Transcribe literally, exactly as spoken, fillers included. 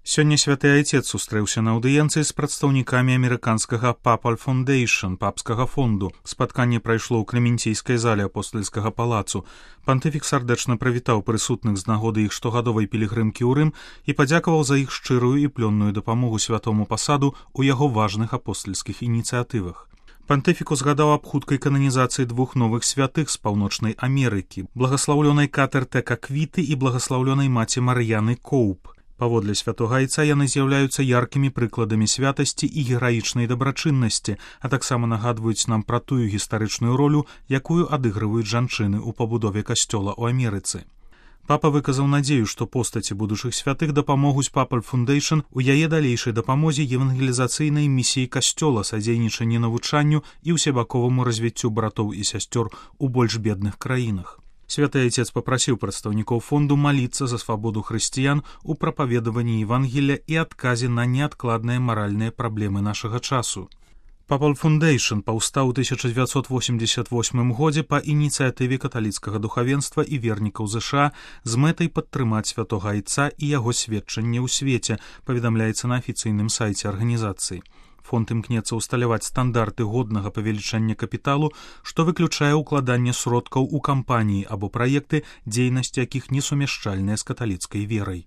Сёння святы айцец сустрэўся на аўдыенцыі з прадстаўнікамі амерыканскага Papal Foundation, папскага фонду. Спатканне прайшло ў Кремінційскай зале апостальскага палацу. Пантыфік сардэчна прывітаў прысутных з нагоды іх штогадовай пілігрымкі ў Рым і падзякаваў за іх шчырую і плённую дапамогу святому пасаду ў яго важных апостальскіх ініцыятывах. Пантыфік узгадаў аб хуткай кананізацыі двух новых святых з паўночнай Амерыкі, благаслаўлёнай Катэр Тека Квіты і благаслаўлёнай маці Мар'яны Коуп. Паводле святога айца яны з'яўляюцца яркімі прыкладамі святасці і гераічнай дабрачыннасці, а таксама нагадваюць нам пра тую гістарычную ролю, якую адыгрываюць жанчыны ў пабудове касцёла ў Амерыцы. Папа выказаў надзею, што постаці будучых святых дапамогуць Papal Foundation у яе далейшай дапамозе евангелізацыйнай місіі касцёла, садзейнічанні навучанню і ўсебаковаму развіццю братоў і сясцёр у больш бедных краінах. Святы айцец папрасіў прадстаўнікоў фонду маліцца за свабоду хрысціян у прапаведаванні Евангелля і адказе на неадкладныя маральныя праблемы нашага часу. Papal Foundation паўстаў у тысяча дзевяцьсот восемьдесят восьмым годзе па ініцыятыве каталіцкага духавенства і вернікаў ЗША з мэтай падтрымаць святога айца і яго сведчанне ў свеце, паведамляецца на афіцыйным сайце арганізацыі. Фонд імкнецца ўсталяваць стандарты годнага павелічання капіталу, што выключае ўкладанне сродкаў у кампаніі або праекты, дзейнасць якіх несумяшчальная з каталіцкай верай.